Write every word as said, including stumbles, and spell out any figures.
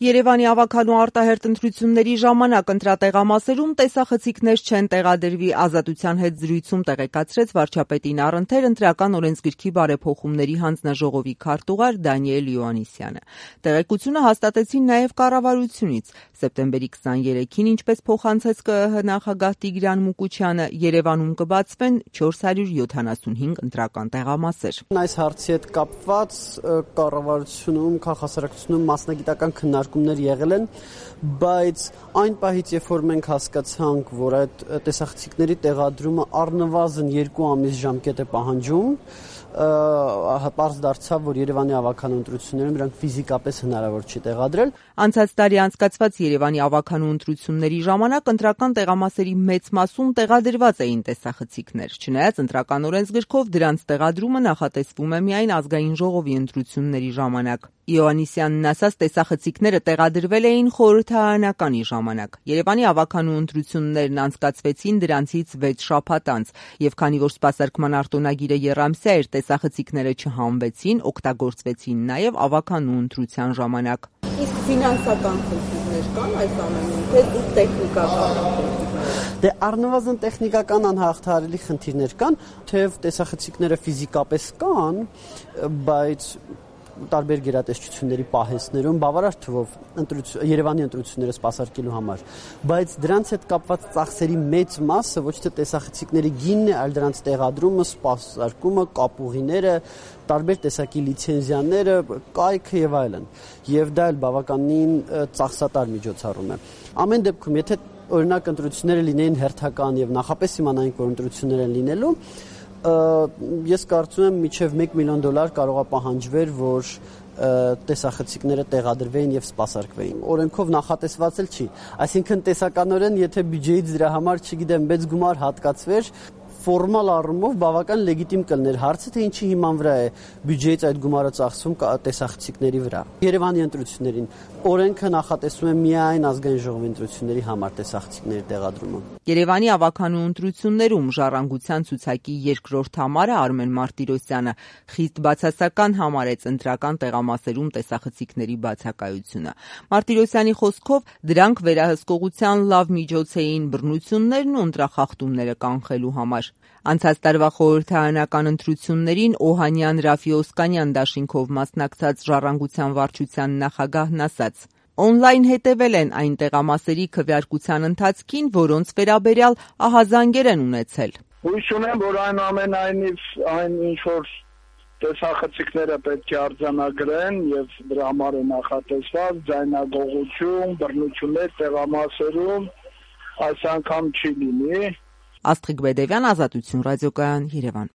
Երևանի ավագանու արտահերթ ընտրությունների ժամանակ ընտրատեղամասերում տեսախցիկներ չեն տեղադրվի, Ազատության հետ զրույցում տեղեկացրեց վարչապետի Նարընթեր ընտրական օրենսգրքի բարեփոխումների հանձնաժողովի քարտուղար Դանիել Իոաննիսյանը։ Տեղեկությունը հաստատեցին նաև կառավարությունից։ Սեպտեմբերի քսաներեքին, ինչպես փոխանցեց ԿԸՀ նախագահ Տիգրան Մուկուչյանը, Երևանում կբացվեն չորս հարյուր յոթանասունհինգ ընտրական տեղամասեր։ Այս հարցի հետ կապված կառավարությունում, քաղաքասարակությունում մասնագիտական քննարկումներ եղել են, բայց այն պահից, երբ որ մենք հասկացանք, որ այդ տեսախցիկների տեղադրումը առնվազն երկու ամիս ժամկետ է պահանջում, պարզ դարձավ, որ Երևանի ավագանու ընտրություններում դրանք ֆիզիկապես հնարավոր չի տեղադրել։ Անցած տարի անցկացված Երևանի ավագանու ընտրությունների ժամանակ ընտրական տեղամասերի մեծ մասում տեղադրված էին տեսախցիկներ, չնայած ընտրական օրենսգրքով դրանց տեղադրումը նախատեսվում է միայն ազգային ժողովի ընտրությունների ժամանակ։ Իոաննիսյանն ասաց, տեսախցիկները տեղադրվել էին խորհրդարանականի ժամանակ։ Երևանի ավագանու ընտրություններն անցկացվեցին դրանցից վեց շաբաթ անց, եւ քանի որ սպասարկման արտոնագիրը եռամսյա էր, տեսախցիկները չհանվեցին, օգտագործվեցին նաև ավագանու ընտրության ժամանակ։ Իսկ ֆինանսական խնդիրներ կան այս ամենում, թե ու տեխնիկական։ Դե առնվազն տեխնիկական անհաղթահարելի խնդիրներ կան, թեև տեսախցիկները ֆիզիկապես կան, բայց տարբեր գերատեսչությունների պահեստներում բավարար թվով Երևանի ընտրությունները սպասարկելու համար, բայց դրանց հետ կապված ծախսերի մեծ մասը ոչ թե տեսախցիկների գինն է, այլ դրանց տեղադրումը, սպասարկումը, կապուղիները, տարբեր տեսակի լիցենզիաները, կայքը եւ այլն։ Եվ դա էլ բավականին ծախսատար միջոցառում է։ Ամեն դեպքում, եթե օրինակ ընտրությունները լինեին հերթական եւ նախապես իմանայինք, որ ընտրություններ են լինելու, ես կարծում եմ մինչև մեկ միլիոն դոլար կարող է պահանջվեր, որ տեսախցիկները տեղադրվեին եւ սպասարկվեին։ Օրենքով նախատեսված էլ չի։ Այսինքն տեսականորեն, եթե բյուջեից դրա համար, չգիտեմ, մեծ գումար հատկացվեր, ֆորմալ առումով բավական լեգիտիմ կլներ։ Հարցը թե ինչի հիման վրա է բյուջեից այդ գումարը ծախսվում տեսախցիկների վրա։ Երևանի ընտրություններին օրենքը նախատեսում է միայն ազգային ժողովի ընտրությունների համար տեսախցիկների տեղադրումը։ Երևանի ավագանու ընտրություններում ժառանգության ցուցակի երկրորդ համարը Արմեն Մարտիրոսյանը խիստ բացասական համարեց ընտրական տեղամասերում տեսախցիկների բացակայությունը։ Մարտիրոսյանի խոսքով դրանք վերահսկողության լավ միջոց էին բռնություններն ու ընտրախախտումները կանխելու համար։ Անցած տարվա խորհրդարանական ընտրություններին Օհանյան Ռաֆի Օսկանյան դաշինքով մասնակցած Ժառանգության վարչության նախագահն ասաց. Օնլայն հետևել են այն տեղամասերի քվեարկության ընթացքին, որոնց վերաբերյալ ահազանգեր են ունեցել։ Հույս ունեմ, որ այնուամենայնիվ այն ինչ որ տեսախցիկները պետք է արձանագրեն եւ դրա համար է նախատեսված ձայնագողություն, բռնություններ տեղամասերում այս անգամ չի լինի։ Աստղիկ Բեդևյան, Ազատություն ռադիոկայան, Երևան։